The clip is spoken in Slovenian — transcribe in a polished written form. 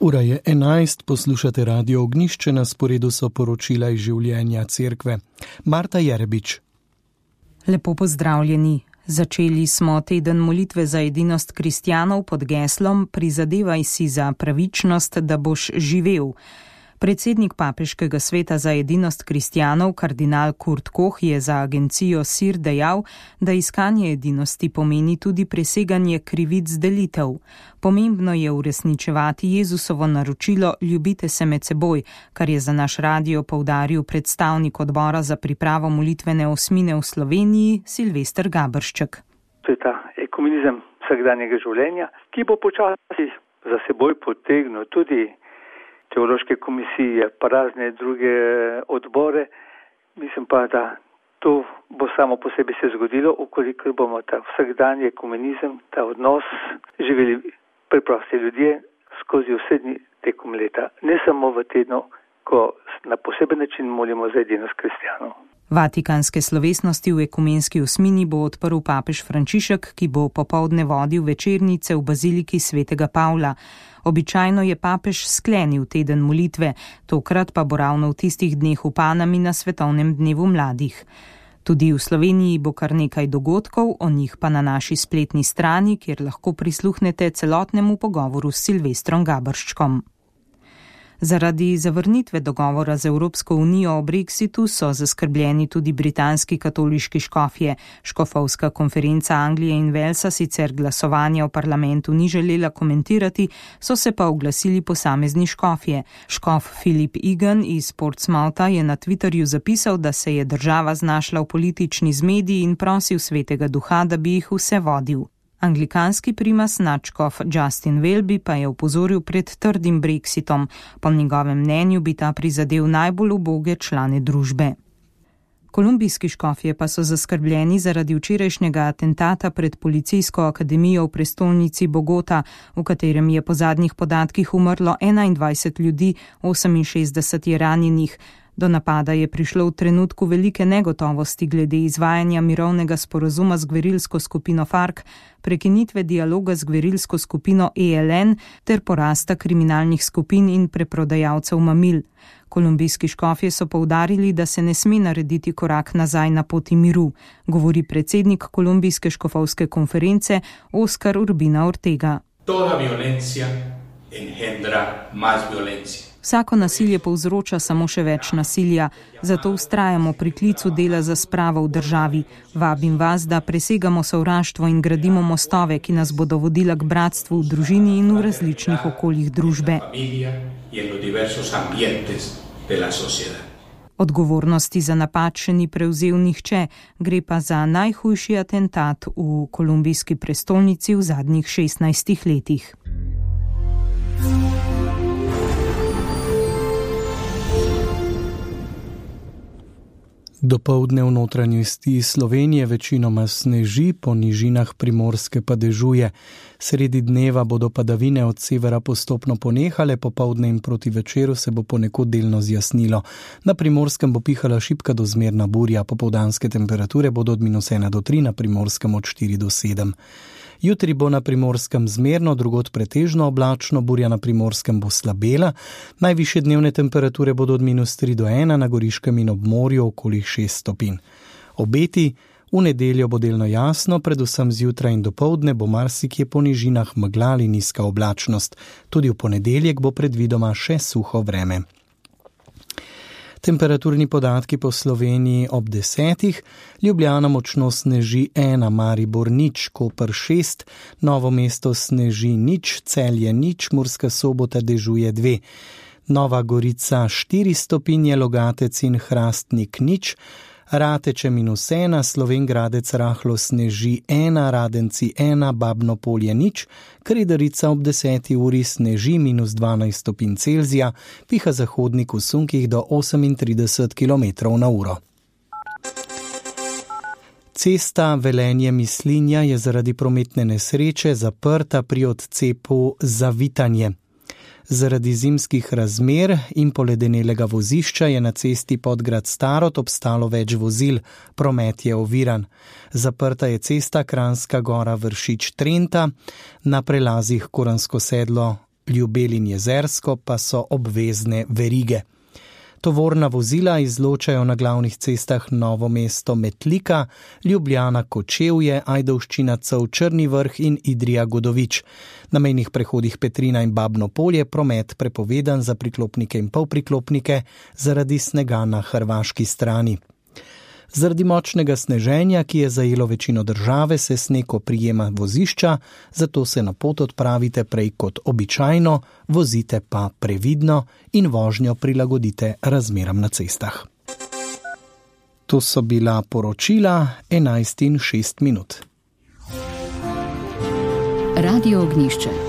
Ura je 11, poslušate Radio Ognjišče, na sporedu so poročila iz življenja cerkve. Marta Jerebič. Lepo pozdravljeni. Začeli smo teden molitve za edinost kristjanov pod geslom Prizadevaj si za pravičnost, da boš živel. Predsednik Papeškega sveta za edinost kristjanov, kardinal Kurt Koch, je za agencijo SIR dejal, da iskanje edinosti pomeni tudi preseganje krivic delitev. Pomembno je uresničevati Jezusovo naročilo ljubite se med seboj, kar je za naš radio poudaril predstavnik odbora za pripravo molitvene osmine v Sloveniji Silvester Gabršček. To je ta ekumenizem vsakdanjega življenja, ki bo počasi za seboj potegnil tudi teološke komisije, pa razne druge odbore. Mislim pa, da to bo samo po sebi se zgodilo, ukoliko bomo ta vsakdanji ekumenizem, ta odnos živeli preprosti ljudje skozi vse dni tekom leta. Ne samo v tednu, ko na poseben način molimo za edinost kristjanov. Vatikanske slovesnosti v ekumenski osmini bo odprl papež Frančišek, ki bo popoldne vodil večernice v baziliki svetega Pavla. Običajno je papež sklenil teden molitve, tokrat pa bo ravno v tistih dneh v Panami na svetovnem dnevu mladih. Tudi v Sloveniji bo kar nekaj dogodkov, o njih pa na naši spletni strani, kjer lahko prisluhnete celotnemu pogovoru s Silvestrom Gabrščkom. Zaradi zavrnitve dogovora z Evropsko unijo o Brexitu so zaskrbljeni tudi britanski katoliški škofje. Škofovska konferenca Anglije in Walesa sicer glasovanja v parlamentu ni želela komentirati, so se pa oglasili posamezni škofje. Škof Philip Egan iz Portsmoutha je na Twitterju zapisal, da se je država znašla v politični zmedi in prosil svetega duha, da bi jih vse vodil. Anglikanski primas nadškof Justin Welby pa je opozoril pred trdim brexitom. Po njegovem mnenju bi ta prizadel najbolj uboge člane družbe. Kolumbijski škofje pa so zaskrbljeni zaradi včerajšnjega atentata pred policijsko akademijo v prestolnici Bogota, v katerem je po zadnjih podatkih umrlo 21 ljudi, 68 je ranjenih. Do napada je prišlo v trenutku velike negotovosti glede izvajanja mirovnega sporazuma z gverilsko skupino FARC, prekinitve dialoga z gverilsko skupino ELN ter porasta kriminalnih skupin in preprodajalcev mamil. Kolumbijski škofje so poudarili, da se ne sme narediti korak nazaj na poti miru, govori predsednik Kolumbijske škofovske konference Oscar Urbina Ortega. Toda violencia engendra más violencia. Vsako nasilje povzroča samo še več nasilja, zato vztrajamo pri klicu dela za spravo v državi. Vabim vas, da presegamo sovraštvo in gradimo mostove, ki nas bodo vodila k bratstvu v družini in v različnih okoljih družbe. Odgovornosti za napad še ni prevzel nihče, gre pa za najhujši atentat v kolumbijski prestolnici v zadnjih 16 letih. Dopoldne v notranjosti Slovenije večinoma sneži, po nižinah Primorske pa dežuje. Sredi dneva bodo padavine od severa postopno ponehale, popoldne in proti večeru se bo ponekod delno zjasnilo. Na Primorskem bo pihala šibka do zmerna burja, popoldanske temperature bodo od -1 do 3, na Primorskem od 4 do 7. Jutri bo na Primorskem zmerno, drugod pretežno oblačno, burja na Primorskem bo slabela, najvišje dnevne temperature bodo od -3 do 1, na Goriškem in ob morju okoli 6 stopinj. Obeti: v nedeljo bo delno jasno, predvsem zjutraj in dopoldne bo marsikje po nižinah megla ali nizka oblačnost. Tudi v ponedeljek bo predvidoma še suho vreme. Temperaturni podatki po Sloveniji ob 10. Ljubljana močno sneži 1, Maribor 0, Koper 6, Novo mesto sneži 0, Celje 0, Murska Sobota dežuje 2, Nova Gorica 4 stopinje, Logatec in Hrastnik 0, Rateče -1, Slovenj Gradec rahlo sneži 1, Radenci 1, Babno Polje 0, Kredarica ob 10. uri sneži -12 stopinj Celzija, piha zahodnik v sunkih do 38 km/h. Cesta Velenje-Mislinja je zaradi prometne nesreče zaprta pri odcepu Zavitanje. Zaradi zimskih razmer in poledenelega vozišča je na cesti Podgrad-Starod obstalo več vozil, promet je oviran. Zaprta je cesta Kranjska Gora-Vršič-Trenta, na prelazih Koransko Sedlo Ljubelj in Jezersko pa so obvezne verige. Tovorna vozila izločajo na glavnih cestah Novo mesto Metlika, Ljubljana Kočevje, Ajdovščina Cev Črni Vrh in Idrija Godovič. Na mejnih prehodih Petrina in Babno Polje promet prepovedan za priklopnike in polpriklopnike zaradi snega na hrvaški strani. Zaradi močnega sneženja, ki je zajelo večino države, se sneg oprijema vozišča, zato se na pot odpravite prej kot običajno, vozite pa previdno in vožnjo prilagodite razmeram na cestah. To so bila poročila 11:06. Radio Ognjišče.